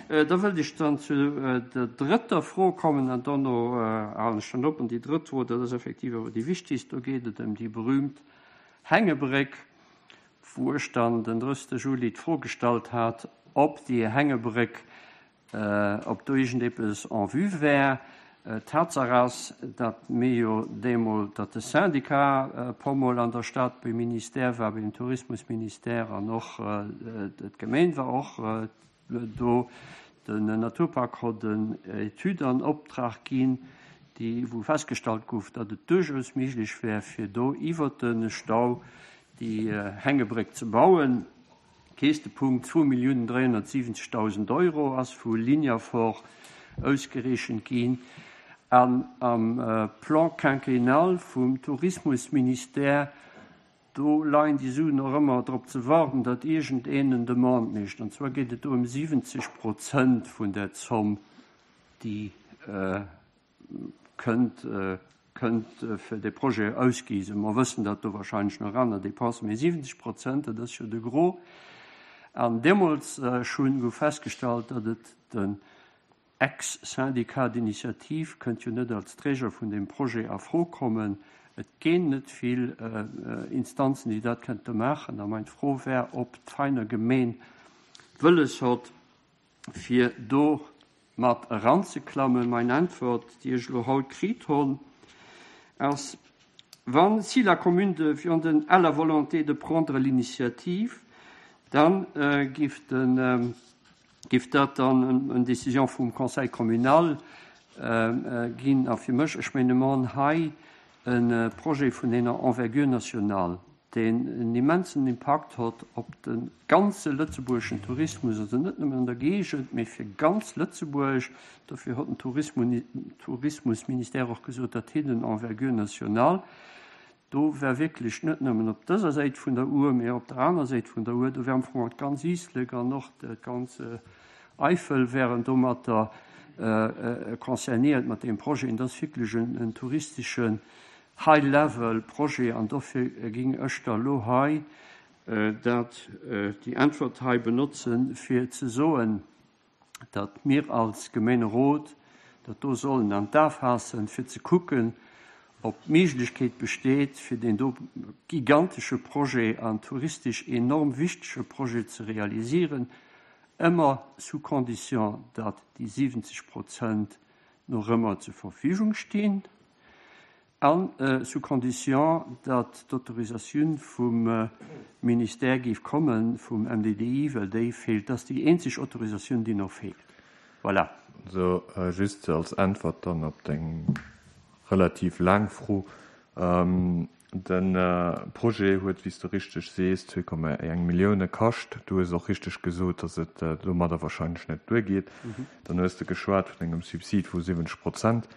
Da wëllt ech dann zu der drëtter Fro kommen an dono halen ech dann op. An déi drëtt Fro, dat ass effektiv awer déi wichtigst, do geet et ëm déi berühmt Hängebréck, wou ech dann den 30. Juli d'Fro gestallt hat, ob déi Hängebréck ob do iergendepes en vue wär. Tatsaach ass, datt mir jo deemol, datt de Syndicat e puermol an der Stad beim Ministère war, beim Tourismusministère, an och d'Gemeen war och do. Den Naturpark hott en Etüd an Optrag ginn, déi, wou festgestallt gouf, datt et duerchaus méiglech wär, fir do iwwert de Stau déi Hängebréck ze bauen. Käschtepunkt, 2.370.000 Euro ass vu Lignafor ausgereechent ginn. An am Plan quinquennal vum Tourismusministère, do leien déi Suen och ëmmer drop ze warden, datt iergendeen en Demande mécht. An zwar geet et do ëm 70 Prozent vun där Zomm, déi kënnt kënnt fir dee Projet ausgi sinn. Mer wëssen, datt do wahrscheinlech nach aner Dépensen, mee 70 Prozent, dat ass jo de Gros. An deemools schonn gouf festgestallt, datt et den Ex-Syndicat d'initiative kënnt jo net als Träger vun deem Projet a Fro kommen. Et gétt net vill Instanzen, déi dat kënnte maachen. A meng Fro wär, ob d'Veiner Gemeen wëlles hott, fir do mat eranzeklammen. Mein Äntwert, déi ech elo haut kritt honn, ass, Wann, si la commune de Vianden a la volonté de prendre l'initiative, dann giff den, giff dat dann en Décision vum Conseil communal ginn. A fir mech, ech menge mer hunn hei e Projet vun enger Envergure nationale, deen en immensen Impakt hott op de ganze lëtzebuergeschen Tourismus, also net nëmmen an der Géigend, mee fir ganz Lëtzebuerg. Dofir hott den Tourismusministère och gesot, dat hitt en Envergure nationale. Do wär wierklech net nëmmen op dëser Säit vun der Our, mee och op der aner Säit vun der Our, do wär am Fong d'ganz Iislek an och d'ganz Eifel wären domatter concernéiert mat deem Projet. Dat ass wierklech en touristeschen High Level Projet an dofir ging ech da lo hei dat, déi Äntwert hei benotzen, fir ze soen, datt mir als Gemeenerot dat do sollen an d'A faassen, fir ze kucken, ob d'Méiglechkeet besteet, fir deen do gigantesche Projet an touristesch enorm wichtege Projet ze realisieren, ëmmer sous condition, datt déi 70 Prozent nach ëmmer zur Verfügung stinn an sous condition, datt d'Autorisatioun vum Ministère géif kommen, vum MDDI, well déi feelt. Dat ass déi eenzeg Autorisatioun, déi nach feelt. Voilà. Sou, just als Äntwert dann op deng relativ laang Fro. De Projet huet, wéi s de richteg sees, 2,1 Millioune kascht. Du hues och richteg gesot, datt et domadder wahrscheinlech net duergeet. Dann hues de geschwat vun engem Subsid vu 70 Prozent.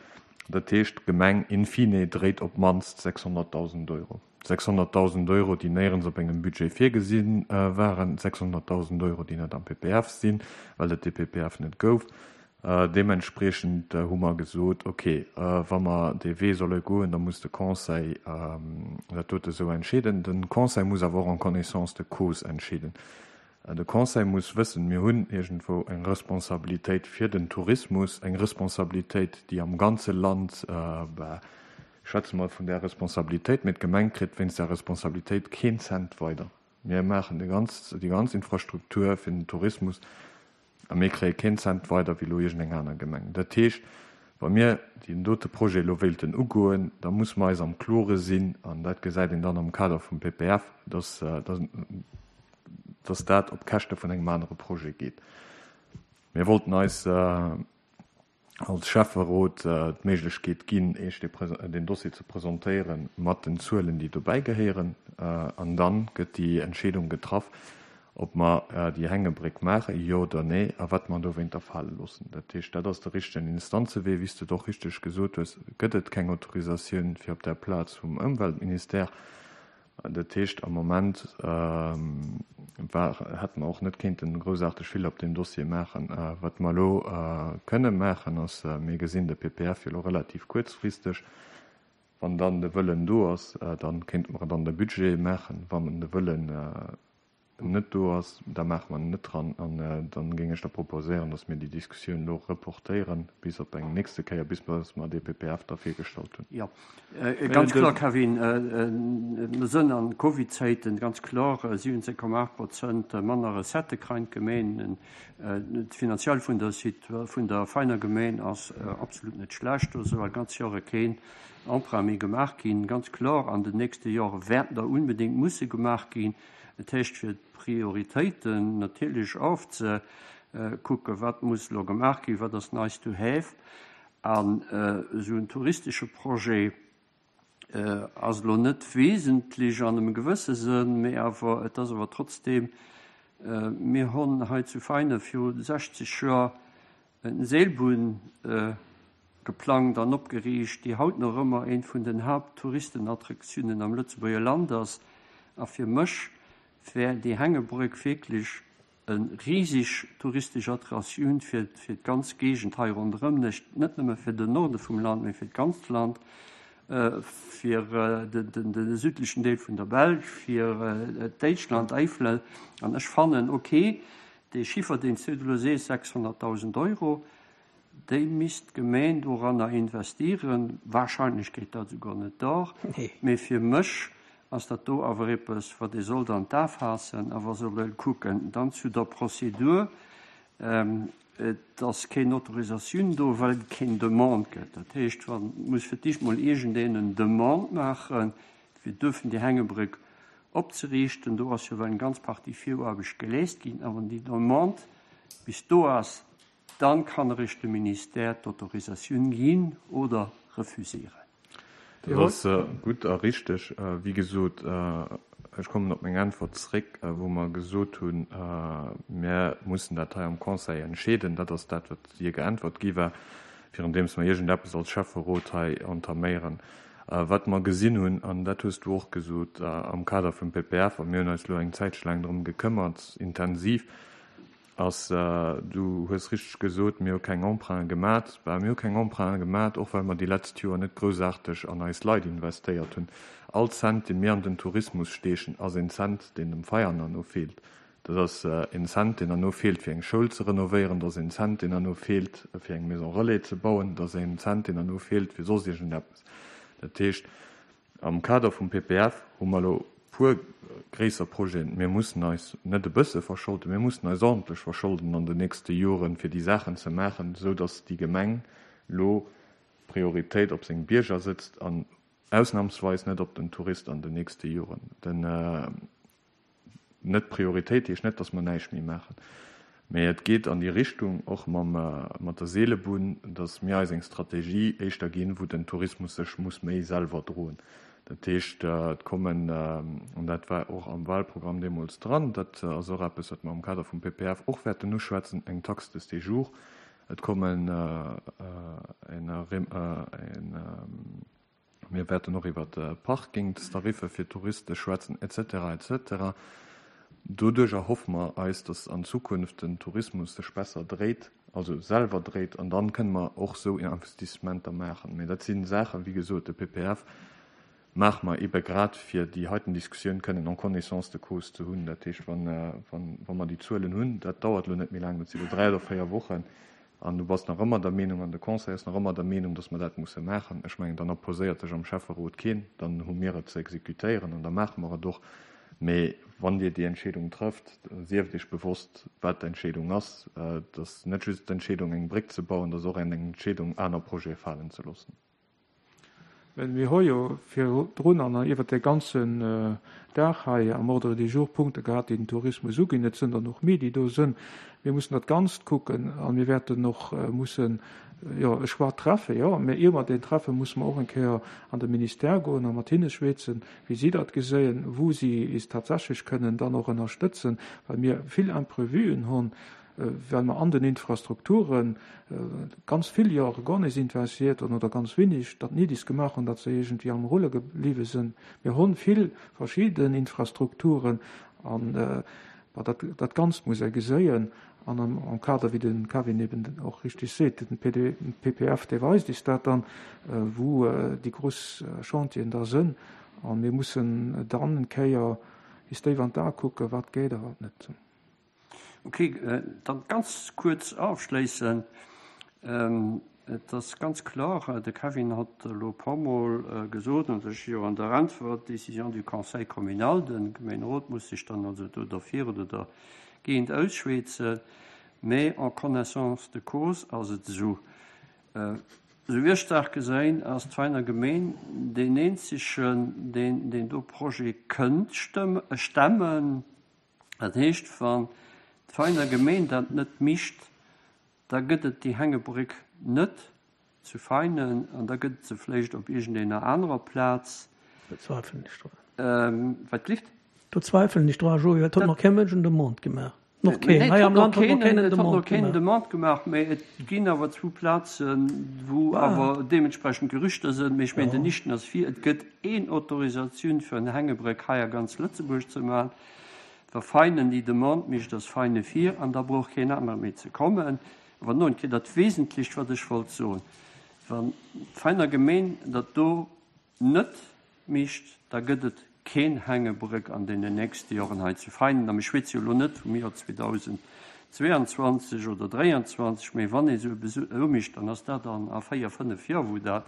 Dat heescht, d'Gemeng in fine dréit op d'mannst 600.000 Euro. 600.000 Euro, déi néierens op engem Budget virgesi waren, 600.000 Euro, déi net am PPF sinn, well et dee PPF net gouf. Deementspriechend hu mer gesot, ok, wa mer dee Wee solle goen, da muss de Conseil dat dote esou entscheeden. De Conseil muss awer och en connaissance de cause entscheeden. De Conseil muss wëssen, mir hunn iergendwou eng Responsabilitéit fir den Tourismus, eng Responsabilitéit, déi am ganze Land, bah, ech schwätze mol vun där Responsabilitéit, mee d'Gemeng kritt wéinst där Responsabilitéit keen Cent weider. Mir maachen déi ganz Infrastruktur fir den Tourismus A mir kréie keen Cent weider wéi elo iergendeng aner Gemeng. Dat heescht, wa mir deen dote Projet elo wéilten ugoen, da musse mer eis am Klore sinn, an dat gesäit een dann am Kader vum PPF, dass, dass dat op Käschte vun engem anere Projet geet. Mir wollten eis als Schäfferot d'Méiglechkeet ginn, Iech deen Dossier ze presentéiere mat den Zuelen, déi dobäi gehéieren. An da gëtt déi Entscheedung getraff, ob mer déi Hängebréck maachen, jo oder nee, a wat mer dowéinter fale loossen. Dat heescht, dat ass de richtegen Instanzewee. Wéi s de et och richteg gesot hues, gëtt et keng Autorisatioun fir op där Plaz vum Ëmweltministère. Dat heescht, am Moment war, hätte mer och net kéinten groussaarteg vill op deem Dossier maachen. Wat mer elo kënne maachen, ass, mir gesinn de PPF jo elo relativ kuerzfristeg. Wann dann de Wëllen do ass, da kéinte mer et an de Budget maachen. Wann de Wëllen. net do ass, da maache mer en net dran. An da géing ech da proposéieren, datt mir déi Diskussioun elo reportéieren bis op eng nächste Kéier, bis mer dee PPF da virgestallt hunn. Jo, ganz kloer, Kevin. Mir sënn an Covid-Zäiten, ganz kloer, 17,8 Prozent manner Recettë kreien d'Gemeenen. D'Finanziell vun der vun der Veiner Gemeen ass absolut net schlecht. Do ass ewell ganz Jore keen Emprunt méi gemaach ginn. Ganz kloer, an den nächste Jore wäerten der unbedéngt musse gemaach ginn. Et heescht fir d'Prioritéiten natierlech ofzekucken, wat muss elo gemaach ginn, wat ass nice to have. An esou en touristesche Projet ass elo net wesentlech an engem gewësse Sënn, mee awer et ass awer trotzdeem, mir hunn hei zu Veinen viru 60 Joer en Seelbunn geplangt an opgeriicht, déi haut nach ëmmer eent vun den Haapttouristenattraktiounen am Lëtzebuerger Land ass. A fir mech wär déi Hängebrück wierklech E riseg touristesch Attratioun fir fir d'ganz Géigend hei ronderëm, net nëmme fir den Norde vum Land, mee fir d'ganzt Land, fir de südlechen Deel vun der Belsch, fir Déitschland, Eifel. An ech fannen, okay, dee Chiffer, deen s du elo sees, 600.000 Euro, Déi misst d'Gemeen doranner investieren. Wahrscheinlech geet dat esouguer net dor. Mee fir mech ass dat do awer eppes, wat ee sollt an d'A faassen a wa soll kucken. Dann zu der Prozedur. Et ass keen Autorisatioun do, well et keng Demande gëtt. Dat heescht, wa muss fir d'éischt mol iergendeen en Demande maachen, fir duerfen déi Hängebrück opzeriichten. Do ass jo well eng ganz Partie Viruarbecht geleest ginn. A wann déi Demande bis do ass, Dann kann eréischt de Ministère d'Autorisatioun ginn oder refusieren. Dat ass gutt a richteg. Wéi gesot, ech kommen op meng Äntwert zréck, wou mer gesot hunn, mir mussen dat hei am Conseil entscheeden. Dat ass dat, wat Dir geäntwert gi war, virundeems mer iergendeppes als Schäfferot hei entaméieren. Wat mer gesinn hunn, an dat hues du och gesot am Kader vum PPF, a mir hunn eis elo eng Zäitche laang drëm gekëmmert, intensiv, Ass, du hues richteg gesot, mir hu keng Emprunte gemat. Bah, mir hu keng Emprunte gemat, och well mer déi letzt Joer net groussaarteg an eis Leit investéiert hunn. All Cent, dee mir an den Tourismus steechen, ass een Cent, deen dem Veianer no feelt. Dat ass een Cent, deen herno feelt, fir eng Schoul ze renovéieren. Dat ass een Cent, deen herno feelt, fir eng Maison relais ze bauen. Dat ass een Cent, deen herno feelt, fir soss iergendeppes. Dat heescht, Am Kader vum PPF hu mer elo puer gréisser Projeten. Mir mussen eis net e bësse verscholden, mir mussen eis ordentlech verscholden an den nächste Joren, fir déi Saachen ze maachen, esou datt déi Gemeng elo Prioritéit op seng Bierger sëtzt an ausnamsweis net op den Tourist an den nächste Joren. Den. Net Prioritéit heescht net, datt mer näischt méi maachen, mä et geet an déi Richtung, och mam, mat der Seelebunn, datt mir eis eng Strategie éischter ginn, wou den Tourismus sech muss méi selwer droen. Dat heescht, et kommen, an dat war och am Wahlprogramm deemools dran, dat ass och eppes, wat mer am Kader vum PPF och wäerten uschwätzen, eng Taxe de séjour, et kommen en, en, Mir wäerten och iwwer Parkingstariffe fir Touriste schwätzen, et cetera, et cetera. Doduerch erhoffe mer eis, dass an Zukunft den Tourismus sech besser dréit, also selwer dréit, an dann kënne mer och esou Investissementer maachen. Mä dat si Saachen, wéi gesot, de PPF maache mer eebe grad, fir déi heiten Diskussioun kënnen en connaissance de cause ze hunn. Dat heescht, wa mer déi Zuelen hunn, dat dauert elo net méi laang, dat si elo dräi oder véier Wochen, An du bass nach ëmmer der Meenung, an de Conseil ass nach ëmmer der Meenung, dass mer dat musse maachen. Ech mengen, dann opposéiert sech am Schäfferot keen. Dann hu mir et ze exekutéieren an da maache mer et och. Mee wann Dir déi Entscheedung trëfft, sieft Iech bewosst, wat d'Entscheedung ass. Et ass net just d'Entscheedung, eng Bréck ze bauen, et ass och eng Entscheedung, aner Projete falen ze loossen. Mir hu jo virdrun an iwwert de ganzen Dag hei am Ordre du jour Punkte gehat, déi den Tourismus uginn. Et sënn der nach méi, déi do sënn. Mir mussen dat Ganzt kucken a mir wäerten och mussen, jo, e Choix treffen, jo. Mä ier mer deen treffen, musse mer och eng Kéier an de Ministère goen a mat hinne schwätzen, wéi si dat geséien, wou si is tatsächlech kënnen dann och ënnerstëtzen, well mir vill Imprevuen hunn. well mer an den Infrastrukture ganz vill Jore guer nees investiert hunn oder ganz wenig, datt Nidis gemaach hunn, datt se iergendwéi am Rulle gebliwwe sinn. Mir hunn vill verschidden Infrastrukturen an dat, dat Ganzt muss ee geséien an am Kader, wéi de Kevin eben och richtig seet, den PPF, dee weist is dat dann, wou déi grouss Chantieren da sënn. A mir mussen dann eng Kéier. bis déif an d'Ae kucken, wat geet a wat net. Ok, dann ganz kuerz ofschléissen. Et ass ganz kloer, de Kevin hat elo e puer Mol gesot, an ech jo an der Äntwert, Décision du Conseil communal, de Gemeenerot muss sech dann also do derfir oder dergéint ausschwätzen, mä en connaissance de cause ass et esou, esou wéi ech d'Saach gesäin, ass d'Veiner Gemeen deen eenzegen, deen deen do Projet kënnt stemmen. Dat heescht, wann d'Veiner Gemeen dat net micht, da gëtt et déi Hängebréck net zu Veinen an da gëtt et se vléicht op iergendener anerer Plaz. Do zweifelen ech drun. Wat glift? Do zweifelen ech dran, Joé, well et huet nach kee Mënsch en Demande gemaach. Noch keen. Hei am Land huet noch keen en Demande gemaach. Mä et ginn awer zwou Plazen, wou awer deementsprechend Gerüchter sinn. Mee ech mengen, den Nichten ass vir. Et gëtt een Autorisatioun fir en Hängebréck hei a ganz Lëtzebuerg ze maachen. Wa Veinen déi Demande mécht, ass Veine vir an da brauch keen anere méi ze kommen. Awer no eng Kéier dat Wesentlecht, wat ech wollt soen, Wann d'Veiner Gemeen dat do net mécht, da gëtt et keen Hängebrëck an deenen nächste Joren hei zu Veinen. A mir schwätze jo elo net vum Joer 2022 oder 2023, mä wann ee sou eppes umécht, dann ass dat an a véier, fënnef Joer, wou dat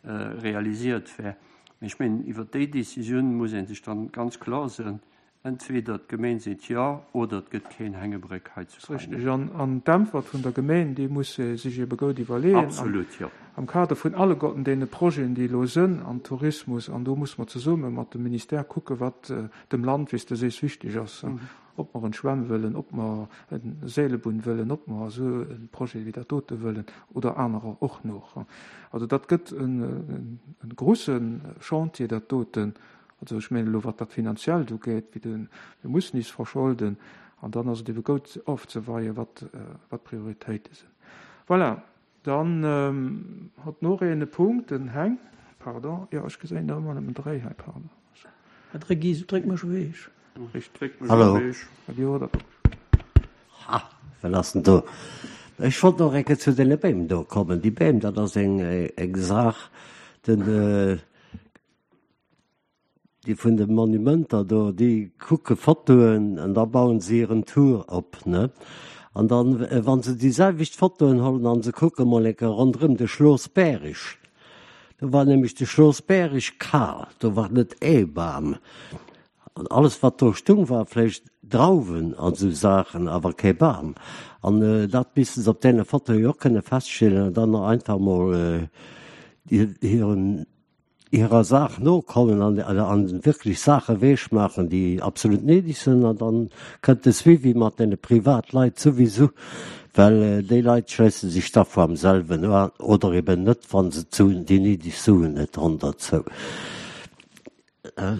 realisiert wär. Mä ech mengen, iwwert déi Décisioun muss ee sech dann ganz kloer sinn, Entweder d'Gemeen seet Jo oder et gëtt keen Hängebréck hei zu Veinen. Richtig. An d'Äntwert vun der Gemeen, déi muss se sech ebe goud iwwerleeën. Absolut, jo. Am Kader vun alleguerten deene Projeten, déi elo sënn am Tourismus, an do muss mer zesumme mat dem Ministère kucken, wat dem Land, wéi s de sees, wichteg ass, ob mer en Schwämm wëllen, ob mer en Seelebunn wëllen, ob mer esou e Projet wéi dat dote wëllen oder anerer och nach. Also dat gëtt e grusse Chantier, dat doten. Also ech mengen elo wat dat Finanziellt ugeet, wéi de, mir mussen is verscholden an dann ass et ebe goud ofzeweien, wat, wat d'Prioritéite sinn. Voilà, dann hott noch een e Punkt, den Heng, pardon, jo ech geséin der ëmmer nëmmen dréi hei, pardon. Mä dréck is, dréck mech ewech. Ech dréck mech Hallo. ewech. Dir hutt der. Ha, wat ass denn do? Ech wollt nach eng Kéier zu deene Beem do kommen. Déi Beem, dat ass eng, eng Saach, den, Déi vun de Monumenter do, déi kucke Fotoen an da bauen se hiren Tour op, ne? An dann, wa se déi selwecht Fotoen hollen an se kucke mol eng Kéier ronderëm de Schloss Bärig, do war nämlech de Schloss Bärig kal, do war net ee Bam. An alles wat do stung war vläicht Drauwen an esou Saachen, awer kee Bam. An dat misste se op deene Fotoe jo och kënne feststellen an dann einfach mol hiren hirer Saach nokommen an an wierklech Saache weech maachen, déi absolut néideg sinn. An dann kënnt de Suivi mat deene Privatleit souwisou, well déi Leit schléisse sech da vu am selwen un oder eben net, wa se d'Suen, déi néideg Suen net honn derzou.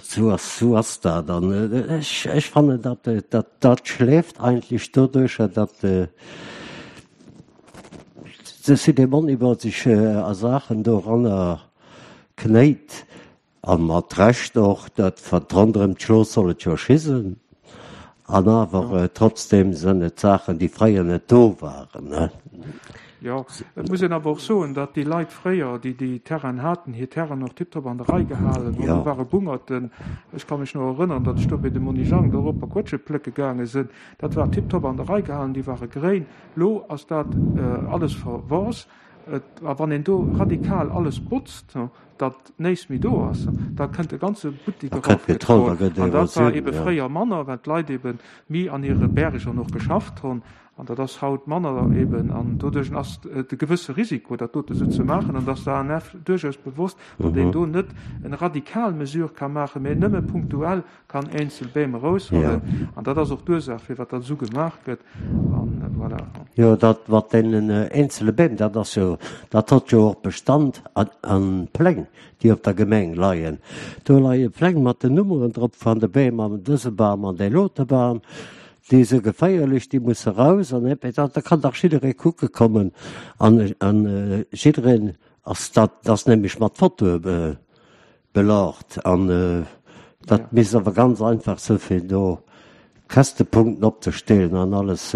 Sou ass, sou ass dat. An ech, ech fannen, dat, dat, dat schläft eigentlech doduercher, datt de Cité Moneyval sech a Saachen doranner knéit, a mat Recht och, dat wat ronderëm d'Schloss soll et jo schisen, an awer trotzdem sënn et Saachen, déi fréier net do waren, ne? Jo, et muss een awer och soen, datt déi Leit fréier, déi déi Terrainen haten, hir Terrainen och tiptop an der Rei gehalen hunn. Do ware Bungerten, ech ka mech nach erënneren, datt ech do bei de Monni Jang do erop a Quëtsche plécke gaange sinn, dat war tiptop an der Rei gehalen, déi ware gréin. Lo ass dat alles verworss. A wann een do radikal alles botzt, datt néist méi do ass, da kënnt e ganze Buttek erofgetrollt. An dat war ebe fréier manner, well d'Leit ebe méi an hire Bäreger och geschafft hunn. An dat ass haut manner eben. An doduerch ass et e gewësse Risiko, dat dote sou ze maachen. An et ass der ANF duerchaus bewosst, datt een do net eng radikal Mesure ka maachen, mä nëmme punktuell kann eenzel Beem eraushuelen. An dat ass och d'Ursaach, firwat dat esou gemaach gëtt. An voilà. Jo, dat mat deenen eenzele Beem, dat ass jo, dat hott jo och Bestand an Pläng, déi op der Gemeng leien. Do leie Pläng mat den Nummeren drop van de Beem, an dëse Bam an dee lote Bam. Déi se geféierlech, déi musse raus. An da kann dach jidderee kucke kommen an jiddereen ass dat ass nämlech mat Fotoe Belaacht an dat misst awer ganz einfach sinn, fir do Kästepunkten opzestellen an alles,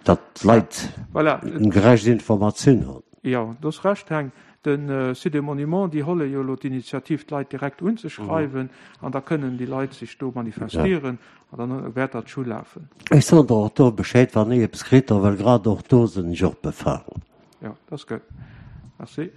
datt d'Leit eng gerecht Informatioun hunn. Jo, do hues Recht, Heng. De Site des Monuments, déi holle jo elo d'Initiativ, d'Leit direkt unzeschreiwen, an da kënnen déi Leit sech do manifestieren, an dann wäert dat scho lafen. Ech soen der och do Bescheed, wann ech eppes kritt hu, well grad och do sinn ech och befalen. Jo, dat ass gutt. Merci.